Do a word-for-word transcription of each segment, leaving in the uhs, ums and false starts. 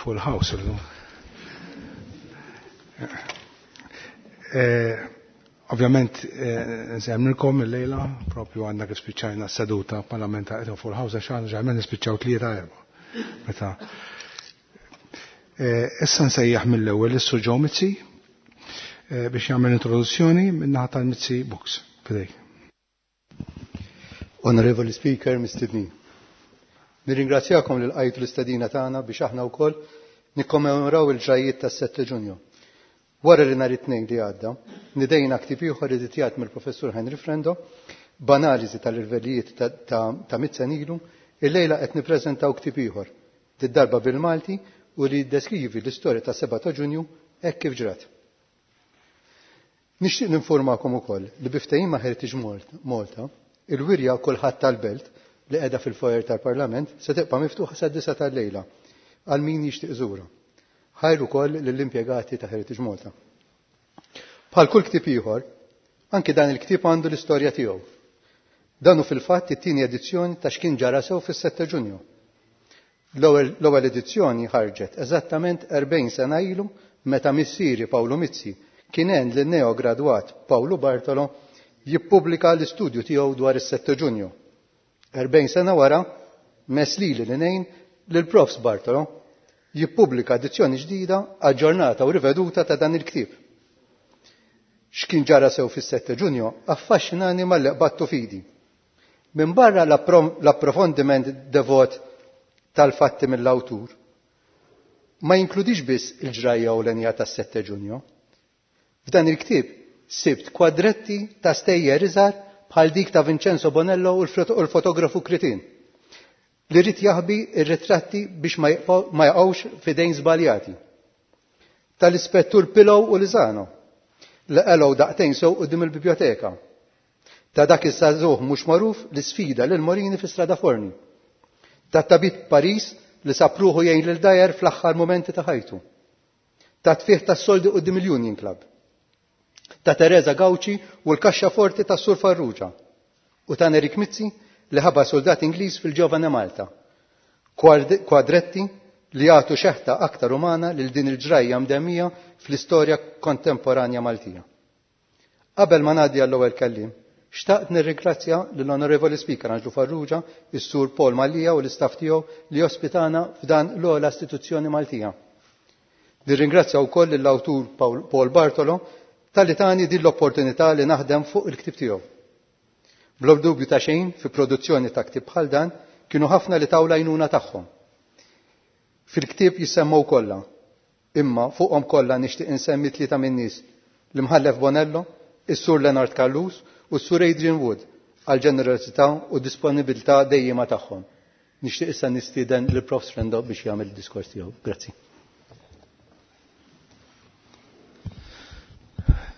Full house illum. Eh, ovvjament, eh, nsemmilkom il-lejla, propju għandna kif spiċċajna s-seduta parlamentari full house, għax għandna ġarmen nispiċċaw tlieta erba'. Meta. Eh, issa nsejjaħ mill-ewwel is-Sur Joe Mizzi biex jagħmel introduzzjoni min-naħa tal-Mizzi Books. Fidejk. Onorevoli Speaker, mistednin. Nirringrazzjakom li lqajtu l-istedina tagħna biex aħna wkoll nikkommemoraw il-ġrajiet tas-sette Ġunju. Wara li nhar it-tnejn li għadda, nidejna ktieb ieħor editjat mill-Professur Henry Frendo b'analiżi tal-irvelijiet ta' mitt sena ilu, illejla qed nippreżentaw ktieb ieħor, did-darba bil-Malti u li jiddeskrivi l-istorja ta' seba ta' Ġunju hekk kif ġrat. Nixtieq ninformakom ukoll li bi ftehim ma' Heritage Malta, il-wirja kulħadd tal-belt li qiegħda fil-foyer tal-Parlament se tibqa' miftuħa sad-disa tal-lejla għal min jixtieq iżurha. Ħajr ukoll lill-impjegati ta' Heritage Malta. Bħal kull ktieb ieħor, anki dan il-ktieb għandu l-istorja tiegħu. Dan hu fil-fatt it-tieni edizzjoni ta' x'kien ġara sew fis-sette Ġunju. L-ewwel edizzjoni ħarġet eżattament erbgħin sena ilu meta missieri Pawlu Mizzi kien għen lin neogradwat Pawlu Bartolo jippubblika l-istudju tiegħu dwar is-sette Ġunju. Erbgħin sena wara, mess lili li ngħin lil Profs Bartolo jippubblika edizzjoni ġdida, aġġornata u riveduta ta' dan il-ktieb. X'kien ġara sew fis-sette Ġunju affaxxinani malli qbadtu fidi. Minn barra l-approfondiment devot tal-fatti mill-awtur, ma jinkludix biss il-ġrajja ewlenija tas-sette Ġunju. F'dan il-ktieb sibt kwadretti ta' stejjer iżgħar bħal dik ta' Vincenzo Bonello u l-fotografu Kritin, li rrid jaħbi ir-ritratti biex ma jaqgħux f'idejn żbaljati. Tal-ispettur Pillow u Lizano, li qelgħu daqtejn sew quddiem il-biblioteka. Ta' dak is-sażuħ mhux magħruf li sfida lil Morini fi Strada Forni. Ta' tabib Paris li sab ruħu jgħin lil Dajer fl-aħħar momenti ta' ħajtu. Ta' tfieħ tas-soldi quddiem il-Union Club. Ta' Teresa Gauci u l-kaxxa forti tas Sur Farrugia. U ta' Nerik Mizzi li ħaba soldat Ingliż fil-Ġovane Malta. Kwadretti li jagħtu xeħta aktar umana lil din il-ġrajja mdemmija fl-istorja kontemporanja Maltija. Qabel ma ngħaddi għall-ewwel kelliem, xtaqt nirringrazzja lill-Onorevoli Speaker Anġlu Farrugia, is-Sur Paul Mallia u l-istaff tiegħu li ospitana f'dan l-ogħla istituzzjoni Maltija. Nirringrazzja wkoll lill-awtur Paul Bartolo talli tani din l-opportunità li naħdem fuq il-ktieb tiegħu. Bla dubju ta' xejn fi produzzjoni ta' ktieb bħal dan kienu ħafna li taw l-għajnuna tagħhom. Fil-ktieb jissemmew kollha, imma fuqhom kollha nixtieq insemmi tlieta min-nies: l-Imħallef Bonello, is-Sur Leonard Callus u s-Sur Adrian Wood għal ġenerosità u disponibilità dejjema tagħhom. Nixtieq issa nistieden lil Profs Frendo biex jagħmel id-diskors tiegħu. Grazzi.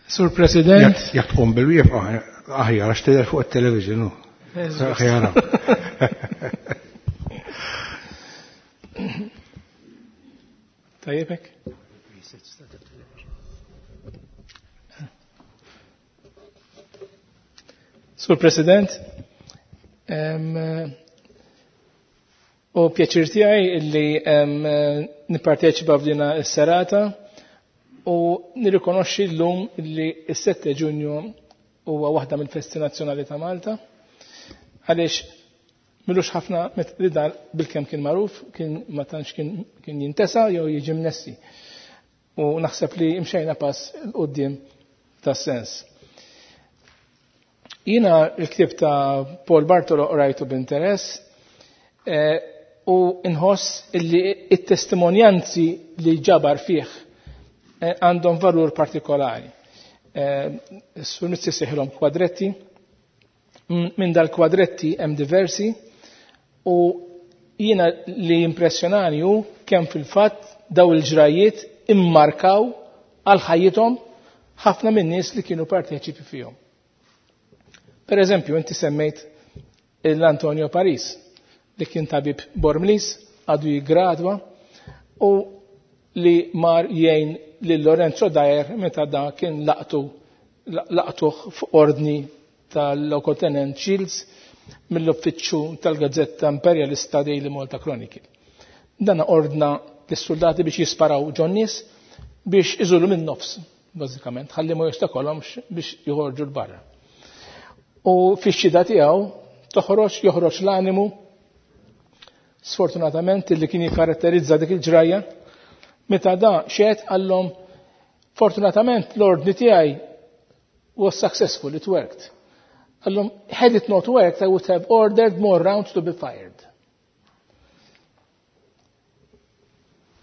Sur President. Jekk tqum bil-wieqfa aħjar għax tidher fuq it-television hu. Aħjar. Tajjebek? Sur President, u pjaċir tiegħi illi nipparteċipa f'dina s-serata u nirrikonoxxi llum illi s-sette Ġunju huwa waħda mill-festi nazzjonali ta' Malta, għaliex milux ħafna li dan bil-kemm kien magħruf, kien ma tantx kien jintesa jew jiġi mnessi. U naħseb li imxejna pass 'l quddiem tas-sens. Jiena l-ktieb ta' Paul Bartolo qrajtu b'interess, eh, u nħoss illi it-testimonjanzi li ġabar fih, eh, għandhom valur partikolari. Eh, Sur Mizzi seħilhom kwadretti. Minn dal-kwadretti hemm diversi u jiena li impressjonani hu kemm fil-fatt daw il-ġrajiet immarkaw għal ħajjithom ħafna minn nies li kienu parteċipi fihom. Per eżempju, inti semmejt l-Antonio Paris, li kien tabib Bormlis, għadu jigradwa, u li mar jgħin lil Lorenzo Dyer meta da kien laqtu, laqtuh f'ordni tal-Lokotenent Shields mill-uffiċċju tal-Gazzetta Imperialista Daily Malta Chronicle. Dan ordna lis-soldati biex jisparaw ġon-nies biex iżulu minn nofs, bażikament, ħalli ma jostakolhomx biex joħorġu l-barra. U fix-xhieda tiegħu toħroġ joħroġ l-animu sfortunatament li kien jikkaratterizza dik il-ġrajja meta da xed għallhom fortunatament l-ordni tiegħi was successful, it worked. Għallhom had it not worked, I would have ordered more rounds to be fired.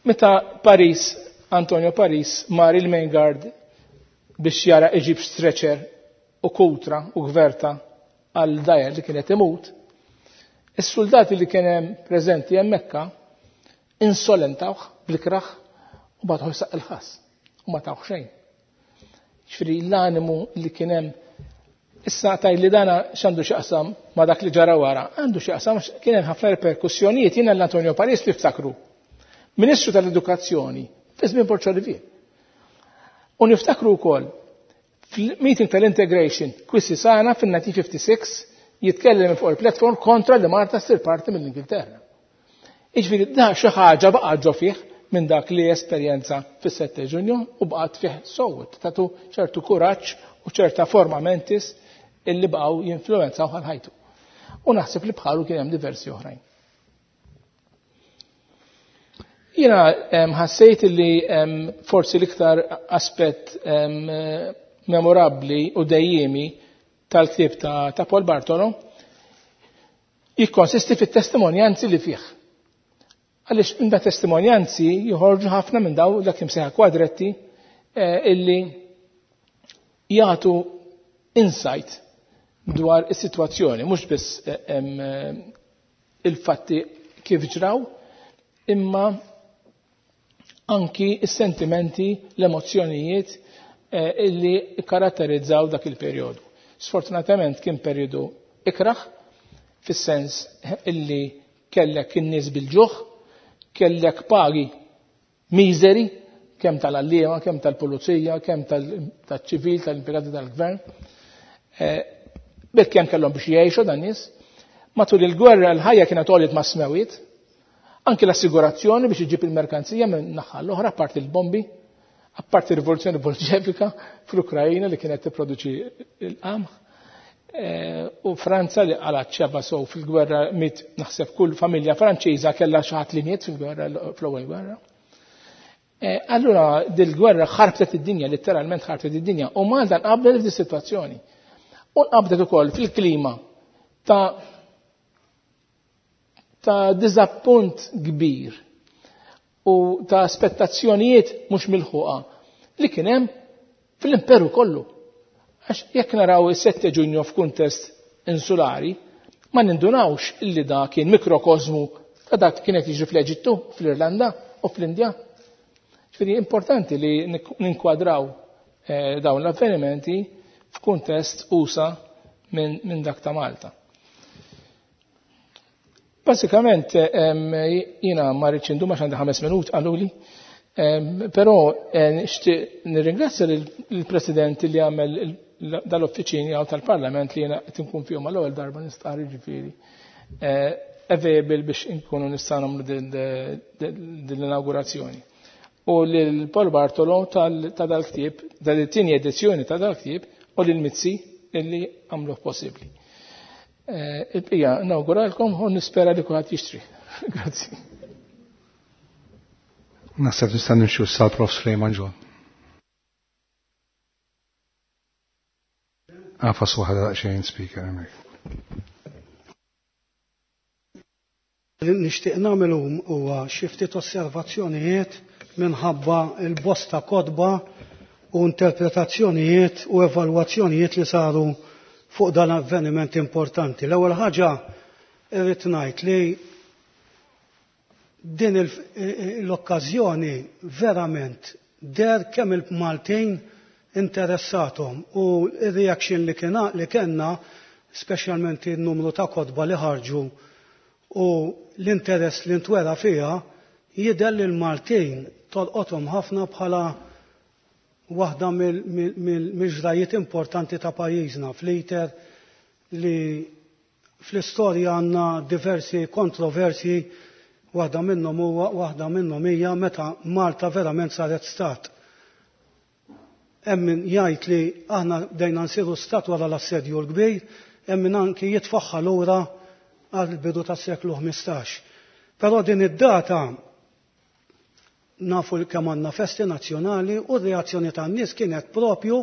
Meta Paris, Antonio Paris, mar il-main guard biex jara iġib stretcher u kutra u gverta għal dajer li kienet imut, is-soldati li kien hemm preżenti hemmhekk insolentawh bl-ikraħ u bagħtuh jsaq il-ħass u ma tawh xejn. Ġifieri l-animu li kien hemm issa taj li dana x'għandu x'jaqsam ma dak li ġara wara, għandu x'jaqsam kien hemm ħafna reperkussjonijiet. Jiena l-Antonio Paris li ftakru, Ministru tal-Edukazzjoni fi żmien Borg Olivier. U niftakru wkoll fil-meeting tal-integration kwissi sana fin-nineteen fifty-six jitkellem fuq il-platform kontra li Malta ssir parti mill-Ingilterra. Jiġifieri da xi ħaġa baqgħet ġo fih minn dak li esperjenza fis-sette Ġunju u baqgħet fih sowt, tatu ċertu kuraġġ u ċerta forma mentis illi baqgħu jinfluwenzaw għal ħajtu. U naħseb li bħalu kien hemm diversi oħrajn. Jiena ħassejt li forsi l-iktar aspett memorabbli u dejjemi tal-ktieb ta', ta' Paul Bartolo jikkonsisti fit-testimonjanzi li fih. Għaliex minn da testimonjanzi joħorġu ħafna minn daw dak imsejħa kwadretti eh, illi jagħtu insight dwar is-sitwazzjoni, mhux biss eh, il-fatti kif ġraw, imma anki is-sentimenti, l-emozzjonijiet eh, illi karatterizzaw dak il-perjodu. Sfortunatament kien perjodu ikraħ, fis-sens illi kellek in-nies bil-ġuħ, kellek pagi miżeri, kemm tal-għalliema, kemm tal-pulizija, kemm tal-ċivil, tal-impjegati tal-gvern. Bil kemm kellhom biex jgħixu dan nies. Matul il-gwerra l-ħajja kienet għoliet ma' smewiet, anki l-assigurazzjoni biex iġib il-merkanzija minn naħa l-oħra, apparti l-bombi, apparti rivoluzzjoni bolxevika fl-Ukrajina li kienet tipproduċi l-qamħ, u Franza li għalat ċeba sow fil-gwerra mit naħseb kull familja Franċiża kellha xi ħadd li miet fil-gwerra, fl-ewwel gwerra. Allura dil-gwerra ħarbtet id-dinja, letteralment ħarbtet id-dinja, u Malta nqabdet f'di sitwazzjoni. U nqabdet ukoll fil-klima ta' ta' diżappunt kbir u ta' aspettazzjonijiet mhux milħuqa li kien hemm fl-imperu kollu. Għax jekk naraw is-sette Ġunju f'kuntest insulari, ma nindunawx illi da kien mikrokosmu ta' dak kienet jiġri fl-Eġittu, fl-Irlanda u fl-Indja. Ġifieri importanti li ninkwadraw eh, dawn l-avvenimenti f'kuntest usa minn min dak ta' Malta. Basikament, jiena ma rridx indum għax għandi ħames minut qaluli, però nixtieq nirringrazzja lill-President li għamel dal-uffiċini għaw tal-Parlament li jiena qed inkun fihom għall-ewwel darba nistqarr jiġifieri available biex inkunu nistgħu nagħmlu din l-inaugurazzjoni. U lil Paul Bartolo ta' dal-ktieb, dal-tieni edizzjoni ta' dal-ktieb, u lil Mizzi illi għamluh possibbli. Il-bqija nawguralkom u nispera li kulħadd jixtri. Grazzi. Naħseb nista' nimxu sal Prof Sulejman John. Għafas waħda daqsxejn speaker hemmhekk. Nixtieq nagħmel huwa xi ftit osservazzjonijiet minħabba l-bosta kotba u interpretazzjonijiet u evalwazzjonijiet li saru fuq dan avveniment importanti. L-ewwel ħaġa irrid ngħid li din l-okkażjoni verament der kemm il-Maltin interessatom u r-reaction li kien li kellna, speċjalment in-numru ta' kotba li ħarġu u l-interess li ntwera fiha, jidher li l-Maltin tolqothom ħafna bħala waħda mill-ġrajiet importanti ta' pajjiżna fl-iter li fl-istorja għandna diversi kontroversi Waħda minnhom huwa waħda minnhom hija meta Malta verament saret stat. Hemm min jgħid li aħna bdejna nsiru stat wara l-assedju l-kbir, hemm min anki jitfaħħa lura għal bidu tas-seklu ħmistax. Però din id-data nafu kemm għandna festi nazzjonali u r-reazzjoni tan-nies kienet propju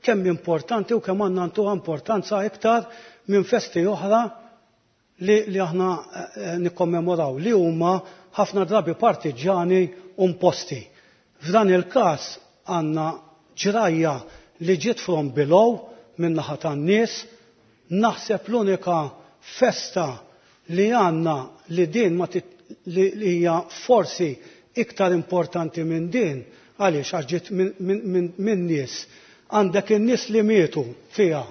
kemm importanti u kemm għandna ntuha importanza iktar minn festi oħra li, li aħna eh, nikkommemoraw, li huma ħafna drabi partiġani u imposti. F'dan il-każ għandna ġrajja li ġiet from below minn naħa tan-nies, naħseb l-unika festa li għandna li din ma li hija forsi iktar importanti minn din, għaliex għax ġiet minn min, nies. Għandek in-nies li mietu fiha,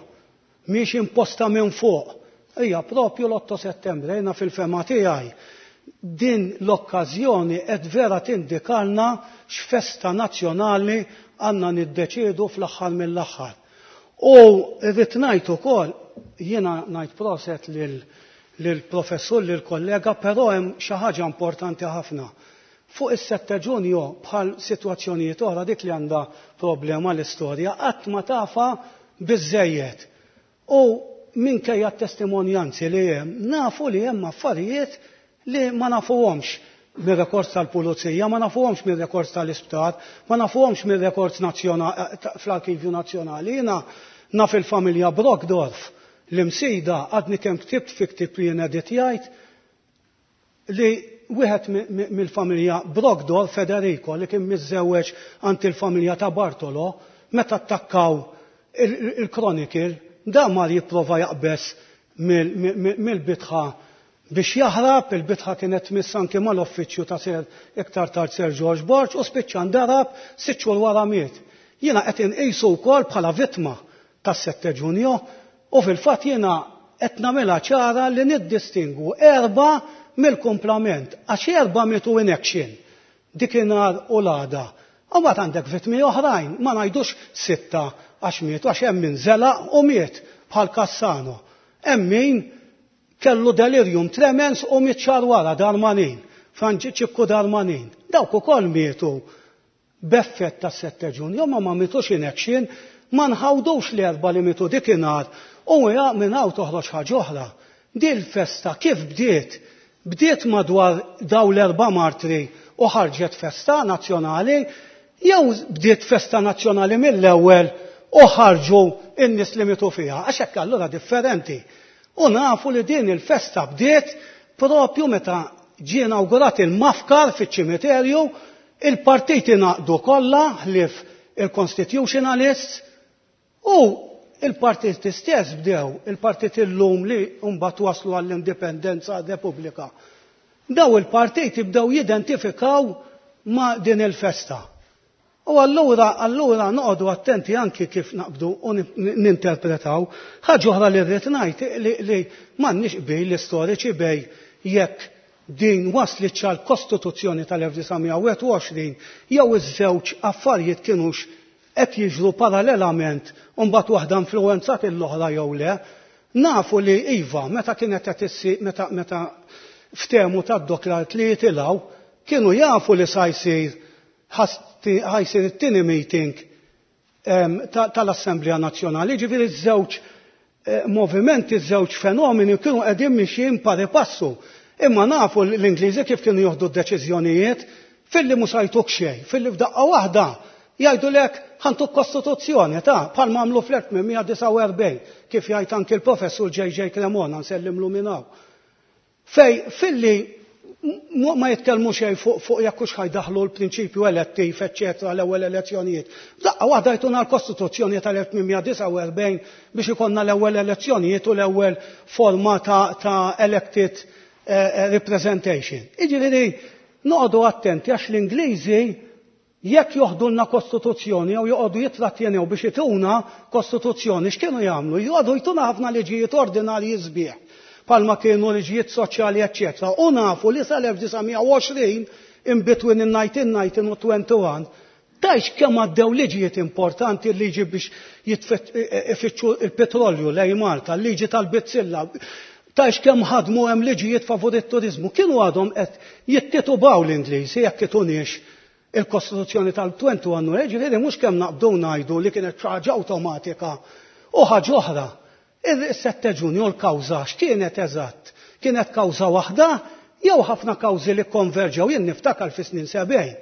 mhix imposta minn fuq. Hija propju l-otto settembru, jiena fil-fema tiegħi din l-okkażjoni qed vera tindikalna x'festa nazzjonali għandna niddeċiedu fl-aħħar mill-aħħar. U rrid ngħid ukoll, jiena ngħid proset lil professur, lil kollega, però hemm xi ħaġa importanti ħafna. Fuq is-sette Ġunju, bħal sitwazzjonijiet oħra, dik li għandha problema l-istorja, qatt ma tafa biżejjed. U minkejja t-testimonjanzi li hemm, nafu li hemm affarijiet li ma nafuhomx mir-rekords tal-pulizija, ma nafuhomx mir-rekords tal-isptar, ma nafuhomx mir-rekords fl-Arkivju Nazzjonali. Jiena naf il-familja Brockdorf l-Imsida, għadni kemm ktibt fi ktib li jien editjajt li wieħed mill-familja Brockdorf, Federico, li kien miżżewweġ għand il-familja ta' Bartolo, meta attakkaw il-Chronicle, da mar jipprova jaqbes mill-bitħa biex jaħrab, il-bitħa kienet tmiss anki mal-uffiċċju ta' Sir, iktar tard Sir George Borg, u spiċċa ndarab, sitt xhur wara miet. Jiena qed inqisu wkoll bħala vittma tas-sette Ġunju u fil-fatt jiena qed nagħmilha ċara li niddistingu erba' mill-kumplament, għax erba' mietu in action dikinhar u l-għada. U mbagħad għandek vittmi oħrajn, ma ngħidux sitta għax mietu, għax hemm min żelaq u miet bħal Cassano. Hemm min kellu delirium tremens u miet xahar wara, Darmanin, Franġiċikku Darmanin. Dawk ukoll mietu b'effett ta' sette Ġunju, ma ma mietux in action, ma nħawdux l-erba li mietu dikinhar u minn hawn toħroġ ħaġa oħra. Din festa kif bdiet? Bdiet madwar daw l-erba' martri u ħarġet festa nazzjonali, jew bdiet festa nazzjonali mill-ewwel u ħarġu in-nies li mietu fiha, għax hekk allura differenti. U nafu li din il-festa bdiet propju meta ġie inawgurat il-mafkar fiċ-ċimiterju, il-partiti naqdu kollha ħlief il-Constitutionalists u il-partiti stess bdew, il-partiti l-lum li mbagħad waslu għall-indipendenza Repubblika. Daw il-partiti bdew jidentifikaw ma' din il-festa. U allura, allura noqogħdu attenti anki kif naqbdu u ninterpretaw. Ħaġa oħra li rrid ngħid li, li m'għandniex qbil l-istoriċi bejn jekk din waslit għal kostituzzjoni tal-elf disa' mija u wieħed u għoxrin jew iż-żewġ affarijiet kienux qed jiġru parallelament u mbagħad waħda influwenzat l-oħra jew le. Nafu li iva, meta kienet qed issir, meta meta ftehmu tad-Docklands li jitilgħu, kienu jafu li sa jsir ħa jsir it-tieni meeting tal-Assemblea Nazzjonali, ġifieri żewġ eh, movimenti, żewġ fenomeni kienu qegħdin mixjin pari passu. Imma nafu l-Ingliżi kif kienu joħdu d-deċiżjonijiet, filli mhux jtuk xejn, filli f'daqqa waħda jgħidu lek ħa ntuk kostituzzjoni ta' bħal għamlu fl-elf tmien mija disgħa u erbgħin, kif jgħid anki l-professur J J. Cremona, nsellimlu minn hawn. Fej filli ma jitkellmu xejn fuq fuq jekk hux ħa jdaħħlu l-prinċipju elettiv, eċċetera, l-ewwel elezzjonijiet. Daqqa waħda jtuna l-Kostituzzjoni tal-elf tmien mija disgħa u erbgħin biex ikollna l-ewwel elezzjonijiet u l-ewwel forma ta', ta elected eh, representation. Iġifieri noqogħdu attenti għax l-Ingliżi jekk joħdulna kostituzzjoni jew joqogħdu jitrattjenew biex ituna kostituzzjoni, x'kienu jagħmlu? Joqogħdu jtuna ħafna liġijiet ordinarji sbieħ bħalma kienu liġijiet soċjali, eċċetera. U nafu li sal-elf disa' mija u għoxrin, in between in-nineteen nineteen u wieħed u għoxrin, tajx kemm għaddew liġijiet importanti, liġi biex ifittxu il-petrolju lej Malta, liġi tal-bizzilla, Ta' kemm ħadmu hemm liġijiet favur it-turizmu, kienu għadhom qed jittitubaw l-Ingliżi jekk itunix il-Kostituzzjoni tal-wieħed u għoxrin, ġifieri mhux kemm naqbdu ngħidu li kienet xi ħaġa awtomatika u ħaġa oħra. Il-sette Ġunju l-kawża x'kienet eżatt? Kienet kawża waħda jew ħafna kawżi li konverġew? Jien niftakar fi snin sebgħin.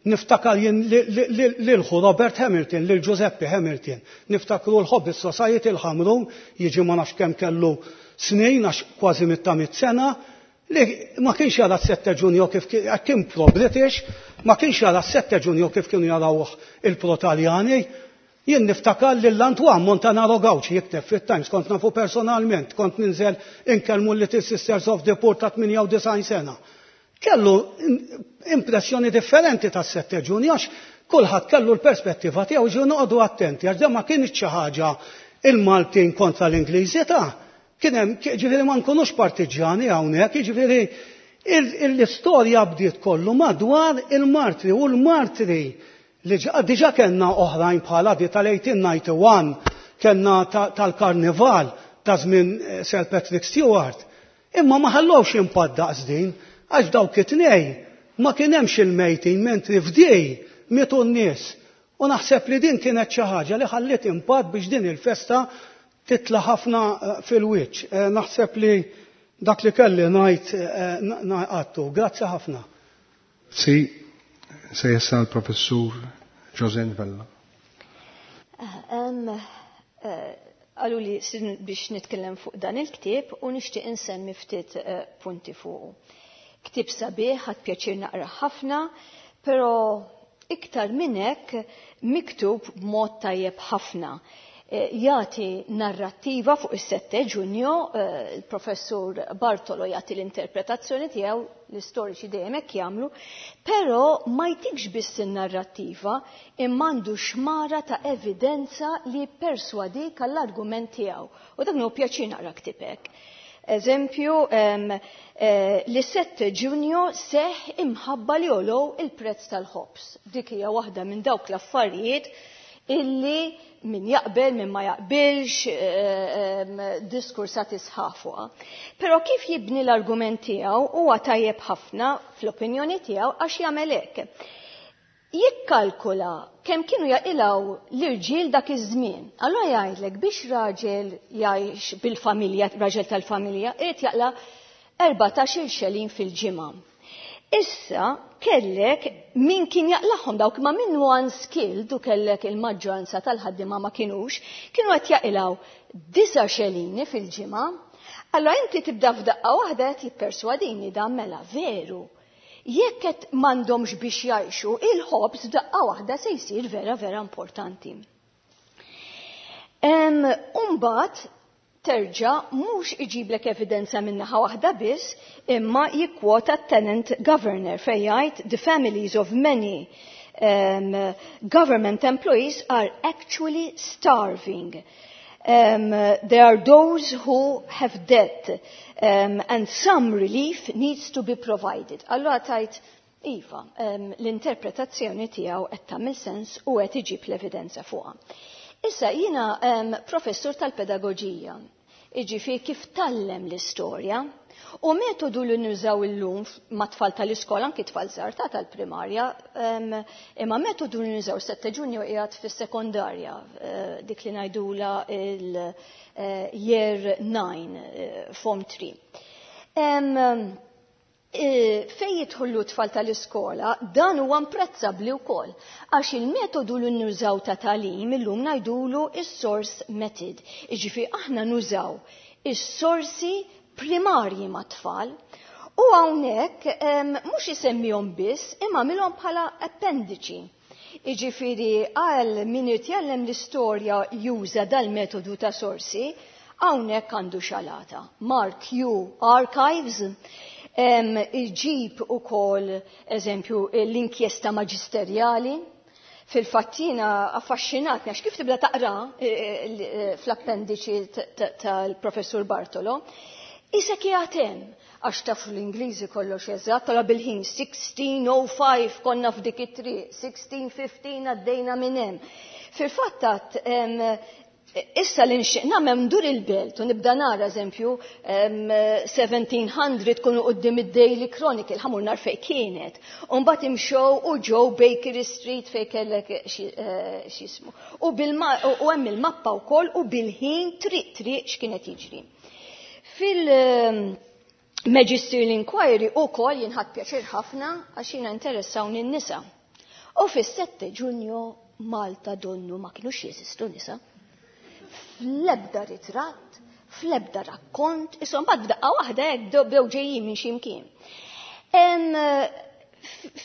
Niftakar jien lil Robert Hamilton, lil Giuseppe Hamilton. Niftakru l-Hobby Society il-Ħamrun, jiġi ma nafx kemm kellu snin, għax kważi mitta mit sena, li ma kienx jara s-sette Ġunju kif kien pro-British, ma kienx jara s-sette Ġunju kif kienu jarawh il-pro-Taljani. Jien niftakar lil Antoine Montanaro Gauci jikteb fit-Times, kont nafu personalment, kont ninżel inkellmu Little Sisters of the Poor ta' tmienja u disgħin sena. Kellu impressjoni differenti tas sette Ġunju għax kulħadd kellu l-perspettiva tiegħu. Ġew noqogħdu attenti għax ma kienx xi ħaġa il-Maltin kontra l-Ingliżi ta' kien hemm, ġifieri ma nkunux partiġjani hawnhekk, jiġifieri l-istorja bdiet kollu madwar il-martri u l-martri li diġa kellna oħrajn bħala di tal-elf disa' mija u wieħed u disgħin, kellna tal-karnival ta' żmien eh, Sir Patrick Stewart. Imma ma ħallowx impatt daqs din, għax dawk it-tnej ma kien hemmx il-mejtin, mentri f'dej mietu n-nies. U naħseb li din kienet xi ħaġa li ħalliet impatt biex din il-festa titla ħafna eh, fil-wiċċ. Eh, naħseb li dak li kelli ngħid għattu. Grazzi ħafna. Si, se jessa l-professur José Vella. Għalu li biex nitkellem fuq dan il-ktieb u nixtieq insemmi ftit eh, punti fuqu. Ktieb sabiħ, ħadt pjaċir naqra ħafna, però iktar minn hekk miktub b'mod tajjeb ħafna. Eh, jagħti narrattiva fuq is-sette Ġunju, eh, il-professur Bartolo jagħti l-interpretazzjoni tiegħu, l-istoriċi dejjem hekk jagħmlu, però ma jtikx biss in-narrattiva imma għandu xmara ta' evidenza li perswadik għall-argument tiegħu. U dak nieħu pjaċir naqra ktieb hekk. Eżempju, eh, li sette Ġunju seħ imħabba li għolow il-prezz tal-ħobs. Dik hija waħda minn dawk l-affarijiet illi min jaqbel, min ma jaqbilx, eh, diskursat isħafuqa. Però kif jibni l-argument tiegħu huwa tajjeb ħafna fl-opinjoni tiegħu għax jagħmel hekk. Jikkalkula kemm kienu jaqilgħu l-irġiel dak iż-żmien. Allora jgħidlek biex raġel jgħix bil-familja, raġel tal-familja, irid jaqla' erbatax-il xelin fil-ġimgħa. Issa kellek min kien jaqlagħhom dawk ma minnu unskilled u kellek il-maġġoranza tal-ħaddiema ma kienux, kienu qed jaqilgħu disa' xelini fil-ġimgħa. Allora inti tibda f'daqqa waħda qed jipperswadini dan mela veru. Jekk qed m'għandhomx biex jgħixu, il-ħobż daqqa waħda se jsir vera vera importanti. Umbagħad terġa' mhux iġiblek evidenza minnaħa waħda biss, imma jikkwota tenant governor fejn jgħid the families of many um, government employees are actually starving. Um, there are those who have debt um, and some relief needs to be provided. Allora tajt, iva, um, l-interpretazzjoni tiegħu qed tagħmel sens u qed iġib l-evidenza fuqha. Issa jiena um, professur tal-pedagoġija, iġifieri kif tgħallem l-istorja, u metodu li nużaw illum ma' tfal tal-iskola, anki tfal żgħar ta' tal-primarja, um, imma metodu li nużaw sette Ġunju qiegħed fis-sekondarja, uh, dik li ngħidula il-year uh, nine, uh, form three. Um, fej jidħollu tfal tal-iskola, dan huwa imprezzabbli wkoll. Għax il-metodu li nużaw ta' tagħlim illum ngħidulu is-source method. Iġifieri aħna nużaw is-sorsi primarji mat-tfal. U hawnhekk mhux isemmihom biss, imma għamilhom bħala appendiċi. Iġifieri għal min jitgħallem l-istorja juża dal-metodu ta' sorsi, hawnhekk għandu xalata. Mark U Archives, iġib ukoll eżempju l-inkjesta maġisterjali. Fil-fatt jiena affaxxinatni għax kif tibda taqra eh, eh, fl-appendiċi tal-professur Bartolo, Isa kjatem, għax tafu l-Ingliżi kollox eżatt, tara bil-ħin sixteen oh five konna f'dik it-triq, sixteen fifteen għaddejna minn hemm. Fil-fatt Issa li nixtieq nagħmel ndur il-belt u nibda nara eżempju seventeen hundred kunu quddiem id-Daily Chronicle, ħamur nar fejn kienet. U mbagħad imxew u ġew Bakery Street fejn kellek x'ismu. U hemm il-mappa wkoll u bil-ħin triq triq x'kienet jiġri. Fil-Magisterial Inquiry ukoll jinħadd pjaċir ħafna għax jiena interessawni n-nisa. U fis-sette Ġunju Malta donnu ma kinux jeżistu nisa. Fl-ebda ritratt, fl-ebda rakkont, isom bad f'daqqa waħda hekk bdew ġejjin minn xi mkien.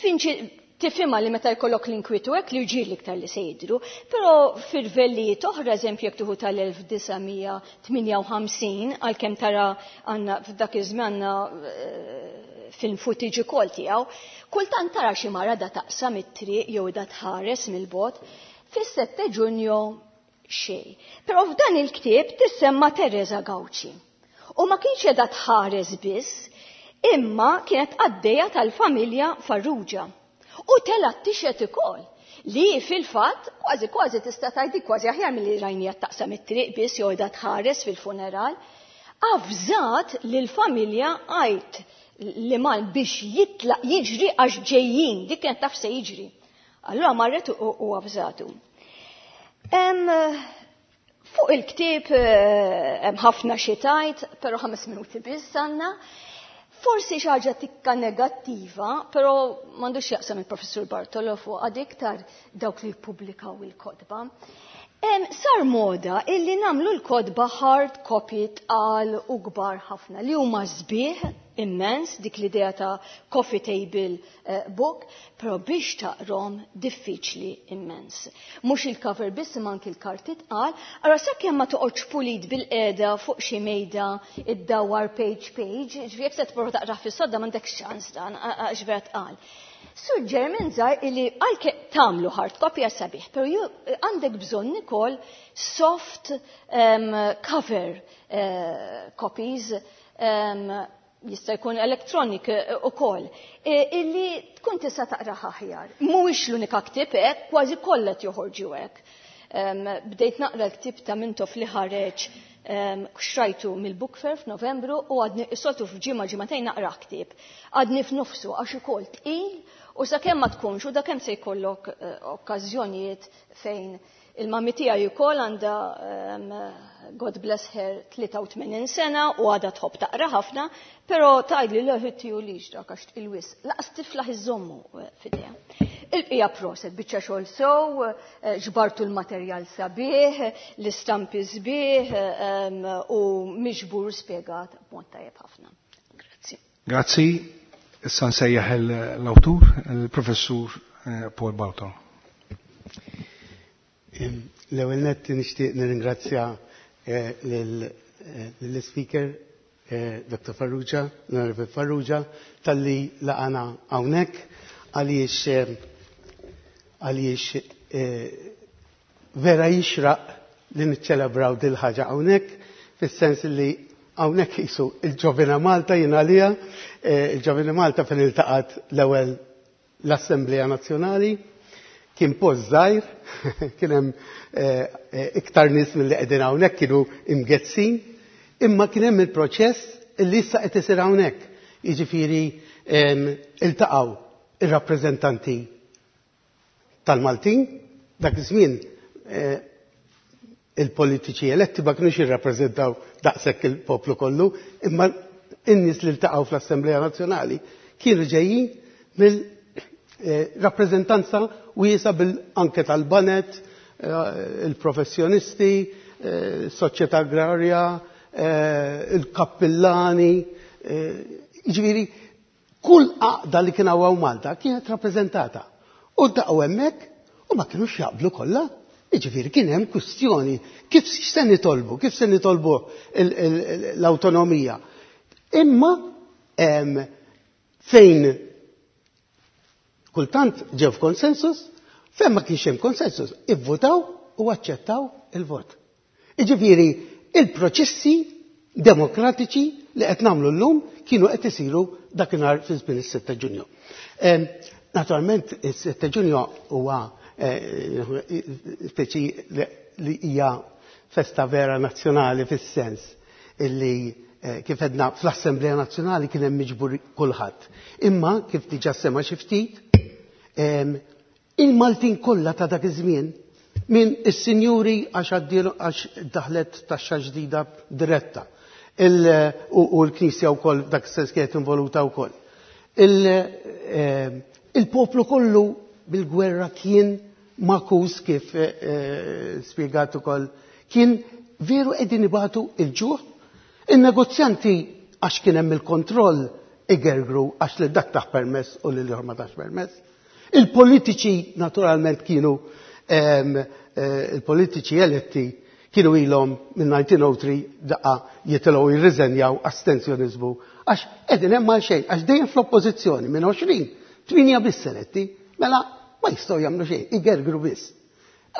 Finċi tifhimha li meta jkollok l-inkwitu hekk li rġiel iktar li se jidhru, però f'irvellijiet oħra, eżempju jekk tieħu tal-elf disa' mija tmienja u ħamsin, għalkemm tara għandna f'dak iż-żmien għandna film footage ukoll tiegħu, kultant tara xi mara da taqsam it-triq jew da tħares mill-bogħod, fis-sette Ġunju xejn. Però f'dan il-ktieb tissemma Teresa Gauci. U ma kienx qiegħda tħares biss, imma kienet għaddejja tal-familja Farrugia. U telgħet tixhed ukoll li fil-fatt kważi kważi tista' tgħidi kważi aħjar milli rajnija taqsam it-triq biss jew qiegħda tħares fil-funeral, avżat lill-familja għajt li mal biex jitlaq jiġri għax ġejjin, dik kienet taf se jiġri. Allura marret u avżatu. Fuq il-ktieb hemm ħafna xi tgħid, però ħames minuti biss għandna. Forsi xi ħaġa tikka negattiva, però m'għandux jaqsam il-Professur Bartolo fuq għad iktar dawk li jippubblikaw il-kotba. Sar moda illi nagħmlu l-kotba hard copy tqal u kbar ħafna li huma sbieħ immens dik l-idea ta' coffee table book, però biex taqrom diffiċli immens. Mhux il-cover biss imma anki l-karti tqal, ara sakemm ma toqgħodx pulit bil-qiegħda fuq xi mejda iddawwar page page, ġifieri jekk se tipprova taqra fis-sodda m'għandekx ċans dan għax vera tqal. Suġġeriment żgħar illi għalke tagħmlu hard copy għas sabiħ, però għandek bżonn ukoll soft um, cover uh, copies, um, jista' jkun electronic ukoll, illi tkun tista' taqra aħjar. Mhuwiex l-unika ktieb hekk, kważi kollha joħorġu hekk. Bdejt naqra l-ktieb ta' Mintoff li ħareġ xtrajtu mill-Book Fair f'Novembru u għadni s-soltu f'ġimgħa ġimagħtejn naqra ktieb. Għadni f'nofsu għax ukoll tqil u sakemm ma tkunx u dakemm se jkollok okkażjonijiet fejn il-mami tiegħi wkoll għandha God bless her tlieta u tmenin sena u għadha tħobb taqra ħafna, però tgħidli le ħitti u lix dak għax tqil wisq. Laqas tiflaħ iżommu f'idejha. Il-bqija proset, biċċa xogħol sew, ġbartu l-materjal sabiħ, l-istampi sbieħ u miġbur spjegat b'mod tajjeb ħafna. Grazzi. Grazzi. Issa nsejjaħ l-awtur, il-Professur Paul Bartolo. L-ewwel nett nixtieq nirringrazzja lill-speaker Doctor Farrugia, l-Onorevole Farrugia, talli laqana hawnhekk għaliex għaliex vera jixraq li niċċelebraw dil ħaġa hawnhekk, fis-sens li hawnhekk qisu il-Ġovina Malta jien għalija, il-Ġovina Malta fejn iltaqgħet l-ewwel l-Assemblea Nazzjonali, kien post żgħir, kien hemm iktar nies milli qegħdin hawnhekk kienu imgezzin, imma kien hemm il-proċess li issa qed isir hawnhekk. Jiġifieri iltaqgħu ir-rappreżentanti tal-Maltin, dak iż-żmien il-politiċi eletti ma kinux jirrappreżentaw daqshekk il-poplu kollu, imma in-nies li ltaqgħu fl-Assemblea Nazzjonali kienu ġejjin mill-rappreżentanza wiesa bil-anke tal-banet, il-professjonisti, soċjetà agrarja, il-kappillani, jiġifieri kull għaqda li kien hawn Malta kienet rappreżentata. U ltaqgħu hemmhekk u ma kinux jaqblu kollha. Jiġifieri kien hemm kwistjoni kif se nitolbu, kif se nitolbu l-awtonomija. Imma fejn kultant ġew f'konsensus, fejn ma kienx hemm konsensus, ivvutaw u aċċettaw il-vot. Jiġifieri il-proċessi demokratiċi li qed nagħmlu llum kienu qed isiru dakinhar fi żmien is-sitta Ġunju. Naturalment is-sitta Ġunju huwa speċi li hija festa vera nazzjonali fis-sens illi kif edna fl-Assemblea Nazzjonali kien hemm miġbur kulħadd. Imma kif diġà sema xi ftit, il-Maltin kollha ta' dak iż-żmien minn is-sinjuri għax għax daħlet taxxa ġdida diretta u l-Knisja wkoll dak is-sens kienet involuta wkoll. Il-poplu kollu bil-gwerra kien makus kif spjegat ukoll, kien veru qegħdin ibatu il-ġuħ. Il-negozjanti għax kien hemm il-kontroll igergru għax li dak taħ permess u li l-ieħor ma tax permess. Il-politiċi naturalment kienu il-politiċi eletti kienu ilhom minn nineteen oh three daqqa jitilgħu jirriżenjaw astenzjonizmu għax qegħdin hemm għal xejn, għax dejjem fl-oppożizzjoni minn għoxrin, tminja biss eletti, mela ma jistgħu jagħmlu xejn, igergru biss.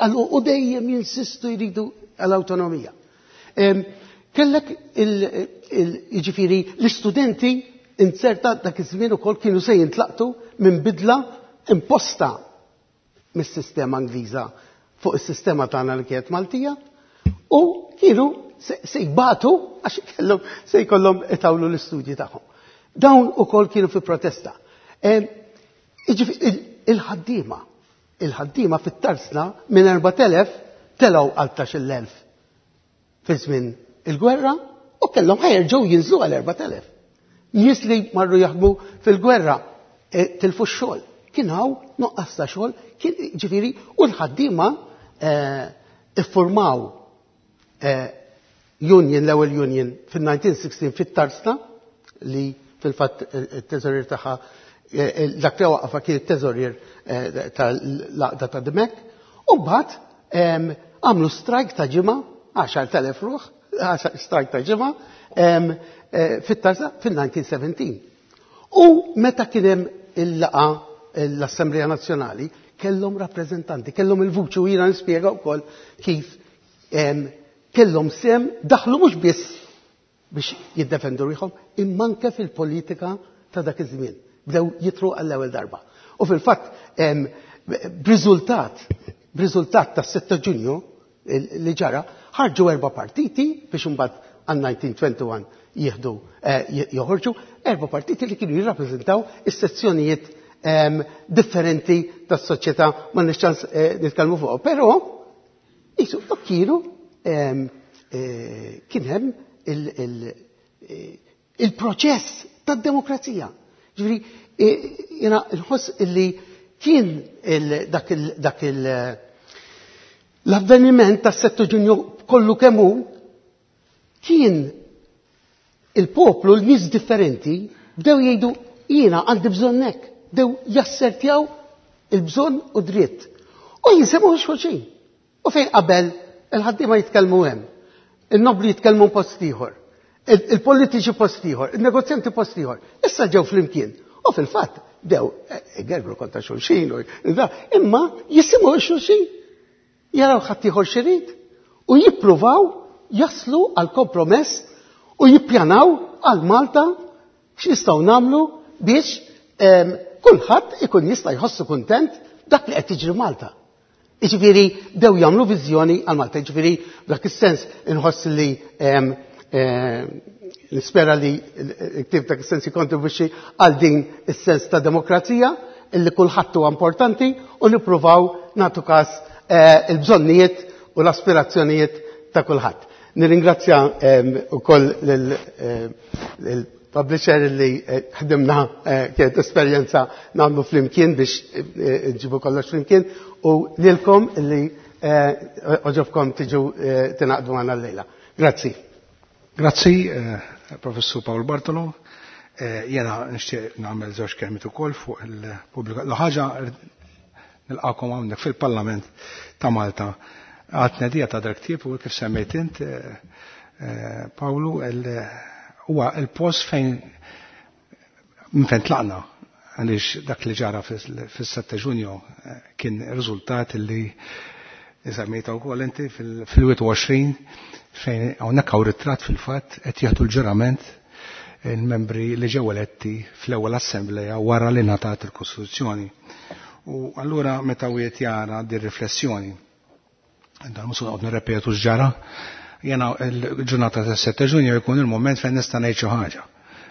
Allu u dejjem jinsistu jridu għall-awtonomija. Kellek il-ġifiri l-istudenti inzerta dak iż-żmien ukoll kienu se jintlaqtu minn bidla imposta mis-sistema Ingliża fuq is-sistema tagħna li kienet Maltija u kienu se jbatu għax kellhom se jkollhom itawlu l-istudji tagħhom. Dawn ukoll kienu fi protesta. Il-ħaddiema, il-ħaddiema fit-tarsna minn erbat elef telgħu għal tnax-il elf fi żmien il-gwerra u kellhom ħajerġgħu jinżlu għal erbat elef. Nies li marru jaħdmu fil-gwerra tilfu x-xogħol. Kien hawn nuqqas ta' xogħol, kien ġifieri u l-ħaddiema iffurmaw union, l-ewwel union fin-nineteen sixteen fit-Tarsna li fil-fatt it-teżorier tagħha dak li waqafa kien it-teżorier tal-għaqda ta' Dimech, u mbagħad għamlu strajk ta' ġimgħa, għaxar telef ruħ, strajk ta' ġimgħa fit-Tarsna fin-nineteen seventeen. U meta kien hemm il-laqgħa l-Assemblea Nazzjonali kellhom rappreżentanti, kellhom il-vuċi u jiena nispjega wkoll kif kellhom sem daħlu mhux biss biex jiddefendu ruħhom, imma anke fil-politika ta' dak iż-żmien. Bdew jitru għall-ewwel darba. U fil-fatt b'riżultat, b'riżultat tas-sitta Ġunju li ġara, ħarġu erba' partiti biex imbagħad għal nineteen twenty-one jieħdu joħorġu erba' partiti li kienu jirrappreżentaw is-sezzjonijiet differenti tas-soċjetà, ma nix ċans nitkellmu fuqhom. Però jisu kienu kien hemm il-proċess tad-demokrazija. Ġifieri jiena nħoss illi kien dak dak l-avveniment tas-sette Ġunju kollu kemm hu kien il-poplu, l-nies differenti bdew jgħidu jiena għandi bżonn hekk, bdew jassertjaw il-bżonn u dritt. U jisimgħu xulxin. U fejn qabel il-ħaddiema jitkellmu hemm, il-nobli jitkellmu post ieħor, il-politiċi post ieħor, il-negozjanti post ieħor. Issa ġew flimkien. U fil-fatt bdew igergru kontra xulxin, imma jisimgħu xulxin. Jaraw ħadd ieħor x'irid u jippruvaw jaslu għal kompromess u jippjanaw għal Malta x'nistgħu nagħmlu biex kulħadd ikun jista' jħossu kuntent dak li qed jiġri Malta. Jiġifieri bdew jagħmlu viżjoni għal Malta, jiġifieri f'dak is-sens inħoss li nispera li l-ktieb dak is-sens jikkontribwixxi għal din is-sens ta' demokrazija illi kulħadd huwa importanti u nippruvaw nagħtu każ il-bżonnijiet u l-aspirazzjonijiet ta' kulħadd. Nirringrazzja ukoll lill-publisher li ħdimna, kienet esperjenza nagħmlu flimkien biex nġibu kollox flimkien, u lilkom li oġobkom tiġu tingħaqdu magħna llejla. Grazzi. Grazzi, Professur Paul Bartolo. Jena nixtieq nagħmel żewġ kelmiet ukoll fuq il-pubblika. L-ħaġa nilqakom hawnhekk fil-Parlament ta' Malta. Għad tnedija ta' dak ktieb u kif semmejt int, Pawlu, huwa il-post fejn minn fejn tlaqna, għaliex dak li ġara fis-sette Ġunju kien riżultat li semmejta wkoll inti fil-wieħed u għoxrin fejn hawnhekk hawn ritratt fil-fatt qed jieħdu l-ġurament il-membri li ġew eletti fl-ewwel assembleja wara li ngħatat il-Kostituzzjoni. U allura meta wieħed jara din riflessjoni Dan mhux noqgħod nirrepetu x'ġara. Jena l-ġurnata ta' sette Ġunju jkun il-moment fejn nista' ngħid xi ħaġa.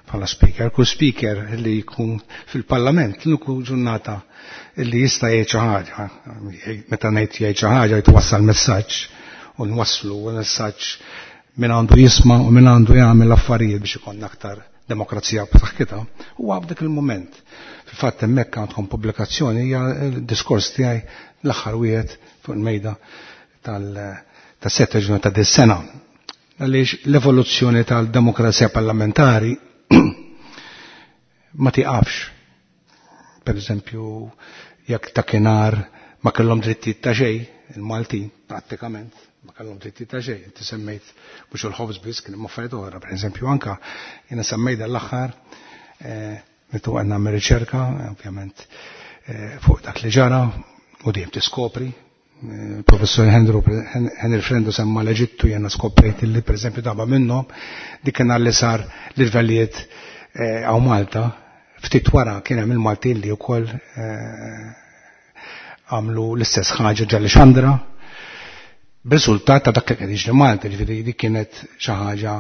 Bħala speaker, kull speaker li jkun fil-parlament, l-uniku ġurnata li jista' jgħid xi ħaġa. Meta ngħid jgħid xi ħaġa jitwassal messaġġ u nwasslu messaġġ min għandu jisma' u min għandu jagħmel affarijiet biex ikollna aktar demokrazija b'saħħitha. Huwa f'dik il-mument. Fil-fatt hemmhekk għandkom pubblikazzjoni hija l-diskors tiegħi l-aħħar wieħed fuq il-mejda tal-sette ġunju ta' dis-sena. Għaliex l-evoluzzjoni tal-demokrazija parlamentari ma tiqafx. Per eżempju, jekk dakinhar ma kellhom drittijiet ta' xejn, il-Maltin prattikament ma kellhom drittijiet ta' xejn. Inti semmejt mhux il-ħobż biss, kien hemm affarijiet oħra. Per eżempju, anka jiena semmejt l-aħħar meta qed nagħmel riċerka, ovvjament fuq dak li ġara u dejjem tiskopri. Professor Henry Frendo semma l-Eġittu, jena skoprejt li per eżempju darba minnhom dik kien li sar l-irvellijiet għaw Malta, ftit wara kien hemm il-Maltin li wkoll għamlu l-istess ħaġa ġalli Xandra, b'riżultat ta' dak li kien jiġri Malta, ġifieri dik kienet xi ħaġa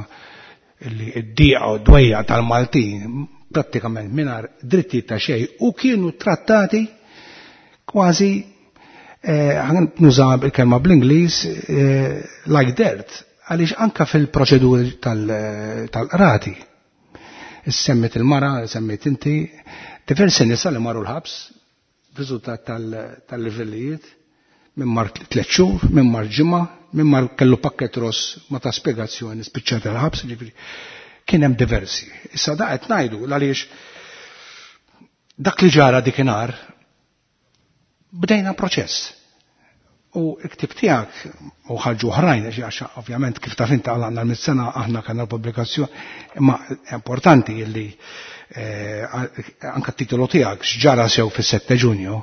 li d-dieqa u d-dwejja tal-Maltin prattikament mingħajr drittijiet ta' xejn u kienu trattati kważi nuża il-kelma bl-Ingliż like dirt, għaliex anka fil-proċeduri tal-qrati. Semmit il-mara, semmit inti, diversi nisa li marru l-ħabs, riżultat tal-livellijiet, minn mar tliet xhur, minn mar ġimgħa, minn mar kellu pakket ross ma ta' spjegazzjoni spiċċata l-ħabs, ġifieri kien hemm diversi. Issa da qed ngħidu għaliex dak li ġara dikinhar bdejna proċess. U l-ktib tiegħek u ħarġu oħrajn, għax ovvjament kif taf inti għal għandna mit-sena aħna kellna l-pubblikazzjoni, imma importanti li anke t-titolu tiegħek x'ġara sew fis-sette Ġunju,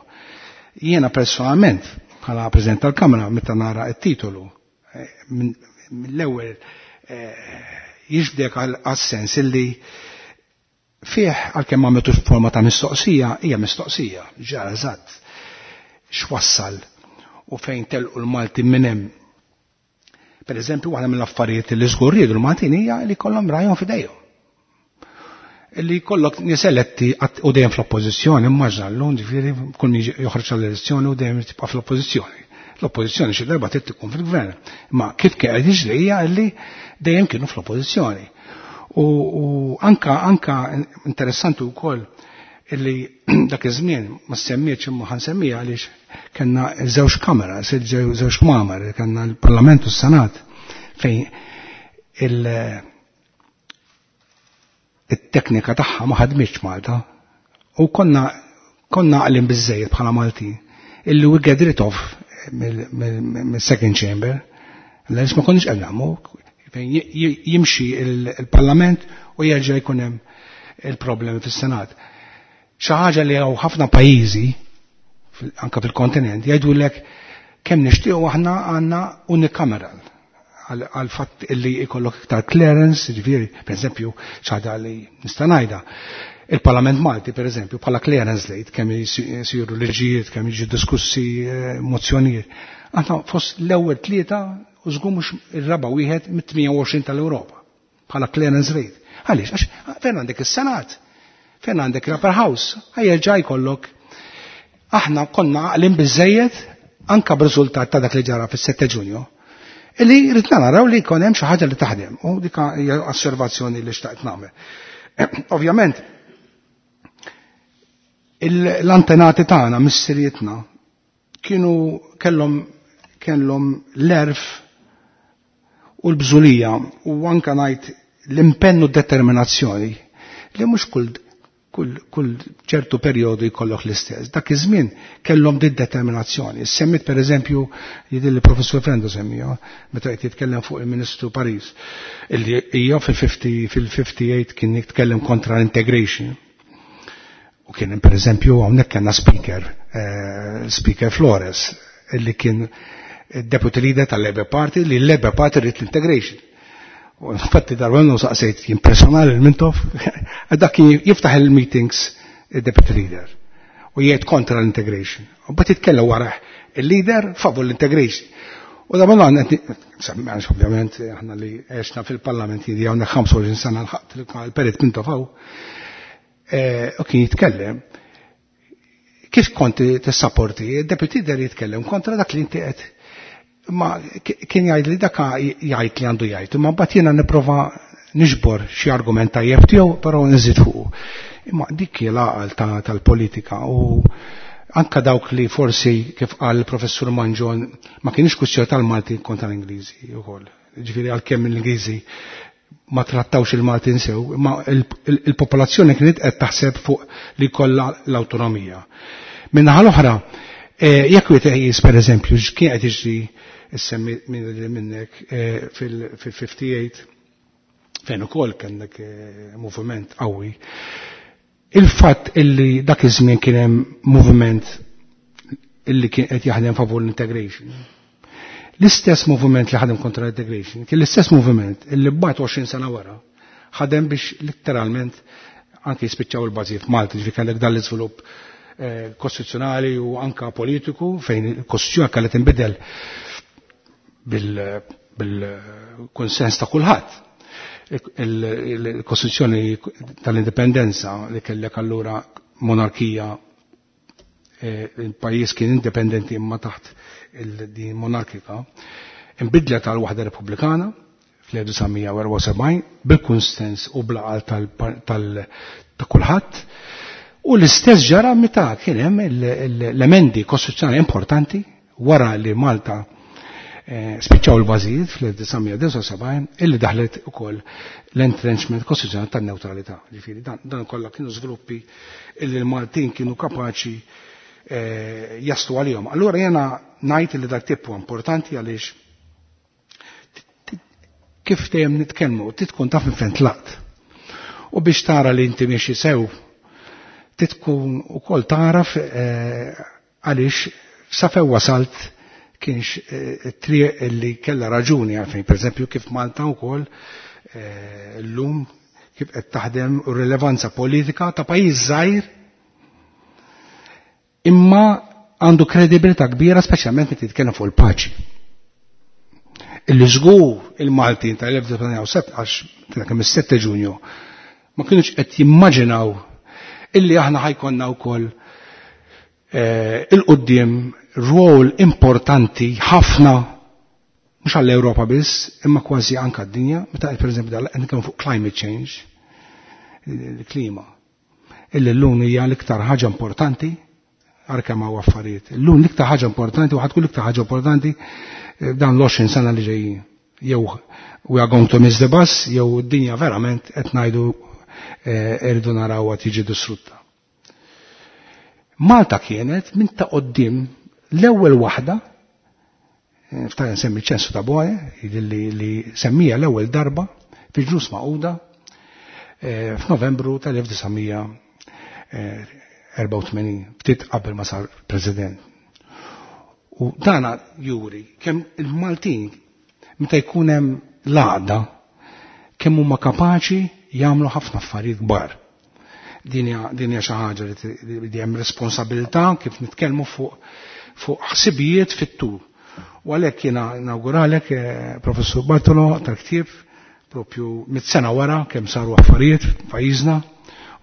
jiena personalment bħala President tal-Kamra meta nara t-titolu mill-ewwel jiġbdek għas-sens illi fih għalkemm għamiltu forma ta' mistoqsija, hija mistoqsija, ġara eżatt x'wassal u fejn telqu l-Malti minn hemm. Per eżempju, waħda mill-affarijiet li żgur riedu l-Maltin hija li kollhom rajhom f'idejhom. Li kollok nies eletti u dejjem fl-oppożizzjoni, immaġna llum ġifieri kull min joħroġ għall-elezzjoni u dejjem tibqa' fl-oppożizzjoni. L-oppożizzjoni xi darba trid tkun fil-gvern. Ma kif kien qed jiġri hija li dejjem kienu fl-oppożizzjoni. U anka anka interessanti wkoll illi dak iż-żmien ma semmietx imma ħansemmija għaliex kellna żewġ kamera, żewġ kmamar, kellna l-Parlament u s-Senat fejn il-teknika tagħha ma ħadmitx Malta u konna konna għalim biżejjed bħala Maltin illi we get rid of mill-second chamber għaliex ma konniex qed nagħmlu fejn jimxi il-Parlament u jerġa' jkun hemm il-problemi fis-Senat. Xi ħaġa li hawn ħafna pajjiżi anke fil-kontinent jgħidulek kemm nixtiequ aħna għandna unicameral għal fatt illi jkollok iktar clearance, ġifieri, pereżempju, xi ħaġa li nista' ngħidha. Il-Parlament Malti, pereżempju, bħala clearance rate, kemm jisiru liġijiet, kemm jiġu diskussi mozzjonijiet. Aħna fost l-ewwel tlieta u żgur mhux ir-raba' wieħed mit-tmien u għoxrin tal-Ewropa bħala clearance rate. Għaliex? Għax fejn għandek is-Senat, fejn għandek l-Upper House, ħajerġa' jkollok. Aħna konna għaqlin biżejjed anka b'riżultat ta' dak li ġara fis-sette Ġunju, illi ridna naraw li jkun hemm xi ħaġa li taħdem, u dik hija osservazzjoni li xtaqt nagħmel. Ovvjament, l-antenati tagħna, missirietna, kienu kellhom kellhom l-erf u l-bżulija u anka ngħid l-impenn u determinazzjoni li mhux kull kull kull ċertu perjodu jkollok l-istess. Dak iż-żmien kellhom din determinazzjoni. Semmit pereżempju jidil li professur Frendo semmija meta qed jitkellem fuq il-Ministru Paris illi hija fil-fifty fil-fifty-eight kien jitkellem kontra l-integration. U kien pereżempju hawnhekk kellna speaker, eh, Speaker Flores, illi kien deputy leader tal-Labour Party, li l-Labour Party rrid l-integration. U infatti darba minnu saqsejt jien personali l-Mintoff, dak kien jiftaħ il-meetings il-deputy leader u jgħid kontra l-integration. U bat jitkellem wara il-leader favur l-integration. U da ma għan ovvjament aħna li għexna fil-parlament jidi għandna ħamsa u għoxrin sena l-ħadd il-Perit Mintoff u kien jitkellem. Kif konti tissapporti, il-deputy der jitkellem kontra dak li inti qed. Ma kien jgħid li dak jgħid li għandu jgħid, imma mbagħad jiena nipprova niġbor xi argument tajjeb tiegħu, però nżid fuqu. Imma dik hi l-għaqal tal-politika u anka dawk li forsi kif qal il-professur Mangion ma kienx kwistjoni tal-Malti kontra l-Ingliżi wkoll. Ġifieri għalkemm l-Ingliżi ma trattawx il-Maltin sew, imma il-popolazzjoni kienet qed taħseb fuq li kollha l-awtonomija. Min-naħa l-oħra, jekk wieħed iqis pereżempju x'kien qed jiġri issemmi minnek fil-fifty-eight fejn ukoll kellek moviment qawwi. Il-fatt illi dak iż-żmien kien hemm moviment illi kien qed jaħdem favur l-integration. L-istess moviment li ħadem kontra l-integration, kien l-istess moviment illi mbagħad għoxrin sena wara ħadem biex letteralment anke jispiċċaw il-bażi f'Malta, ġifieri kellek dan l-iżvilupp kostituzzjonali u anka politiku fejn il-kostituzzjoni kellha tinbidel bil-konsens ta' kulħadd. Il-Kostituzzjoni tal-Indipendenza li kellek allura monarkija, il-pajjiż kien indipendenti imma taħt din monarkika, inbidlet għal waħda repubblikana fl-elf disa' mija u erbgħa u sebgħin bil-kunsens u bl-għaqal ta' kulħadd. U l-istess ġara meta kien hemm l-emendi kostituzzjonali importanti wara li Malta spiċċaw il-bażijiet fl-elf disa' mija u disgħa u sebgħin illi daħlet ukoll l-entrenchment kostituzzjonali tan-newtralità. Ġifieri dan, dan kollha kienu żviluppi illi l-Maltin kienu kapaċi jaslu għalihom. Allura jiena ngħid li dak tip huwa importanti għaliex kif dejjem nitkellmu, tkun taf minn fejn tlaqt. U biex tara li inti miexi sew, tkun ukoll taraf għaliex sa fejn wasalt kienx triq li kellha raġuni għalfejn, pereżempju kif Malta wkoll llum kif qed taħdem u rilevanza politika ta' pajjiż żgħir imma għandu kredibilità kbira speċjalment meta titkellem fuq il-paċi. Illi żgur il-Maltin tal-elf disa' mija u sette għax kemm is-sette Ġunju ma kienux qed jimmaġinaw illi aħna ħajkonna wkoll il-qudiem rwol importanti ħafna mhux għall-Ewropa biss imma kważi anke d-dinja, meta pereżempju dal qed nitkellmu fuq climate change, il-klima. Illi llum hija l-iktar ħaġa importanti għar kemm hawn affarijiet. Illum l-iktar ħaġa importanti u ħadkun l-iktar ħaġa importanti dan l-għoxrin sena li ġejjin. Jew we are going to miss the bus, jew d-dinja verament qed ngħidu irridu narawha tiġi distrutta. Malta kienet minn ta' qoddim l-ewwel waħda, ftaħ nsemmi ċensu ta' Boe, li, li semmija l-ewwel darba fi ġnus Magħquda f'Novembru tal-elf disa' mija erbgħa u tmenin, ftit qabel ma sar president. U dana juri kemm il-Maltin meta jkun hemm l-għaqda kemm huma kapaċi jagħmlu ħafna affarijiet kbar. Din hija xi ħaġa li hemm responsabilità kif nitkellmu fuq fuq ħsibijiet fit-tul. U għalhekk jiena nawguralek, Professur Bartolo, tal-ktieb propju mit-sena wara kemm saru affarijiet f'pajjiżna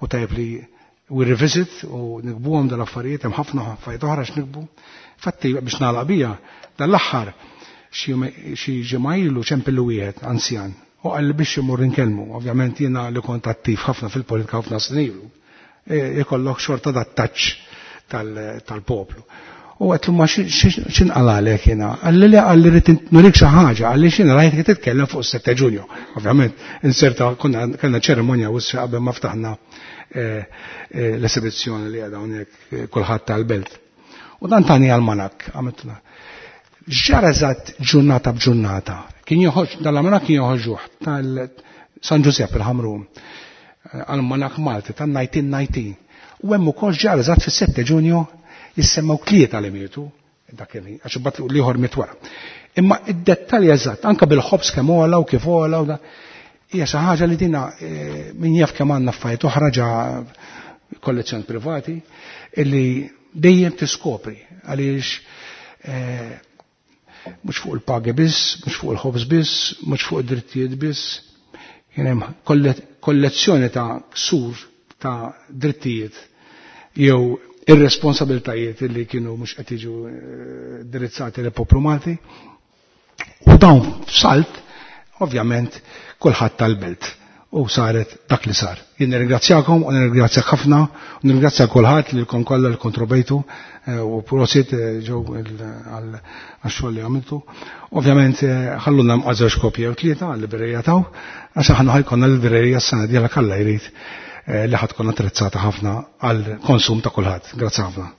u tajjeb li we revisit u nikbuhom dal-affarijiet, hemm ħafna affarijiet oħra x'nikbu. Fatti biex nagħlaq bija, dal-aħħar xi ġimgħa ilu ċempillu wieħed anzjan u qal li biex imur inkellmu. Ovvjament jiena li kont attiv ħafna fil-politika ħafna snin ilu, ikollok xorta dat-touch tal-poplu. U għetlu ma x'inqalalek jiena? Qalli le, qalli rrid nurik xi ħaġa, qalli x'inha rajtek titkellem fuq is-sette Ġunju. Ovvjament inserta konna kellna ċerimonja u issa qabel ma ftaħna l-esibizzjoni li għadha hawnhekk kulħadd tal-belt. U dan tani almanak, għamiltna. Ġara eżatt ġurnata b'ġurnata. Kien joħroġ, dal-almanak kien joħorġuh tal-San Giuseppe il-Ħamrun, almanak Malti tan-nineteen nineteen. U hemm ukoll ġara eżatt fis-sette Ġunju jissemmew tlieta li mietu, dak kien, għax imbagħad l-ieħor miet wara. Imma id-dettalji eżatt, anke bil-ħobż kemm ogħla u kif ogħla u da, hija xi ħaġa li dina min jaf kemm għandna affarijiet oħra ġa kollezzjoni privati illi dejjem tiskopri għaliex Mhux fuq il-pagi biss, mhux fuq il-ħobż biss, mhux fuq id-drittijiet biss. Kien hemm kollezzjoni ta' ksur ta' drittijiet jew irresponsabiltajiet li kienu mhux qed jiġu indirizzati lil poplu Malti. U dawn f'salt, ovvjament, kulħadd tal-belt u saret dak li sar. Jien nirringrazzjakom u nirringrazzjak ħafna u nirringrazzja kulħadd li lkom kollha li kontribwejtu u prosit ġew għax-xogħol li għamiltu. Ovvjament ħalluna żewġ kopji jew tlieta għal-librerija taw, għax aħna ħajkonna l-librerija s-sena dieħla kalla jrid li ħad tkun attrezzata ħafna għal konsum ta' kulħadd. Grazzi ħafna.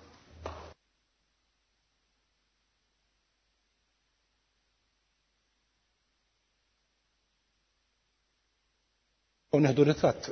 U neħdu ritratt.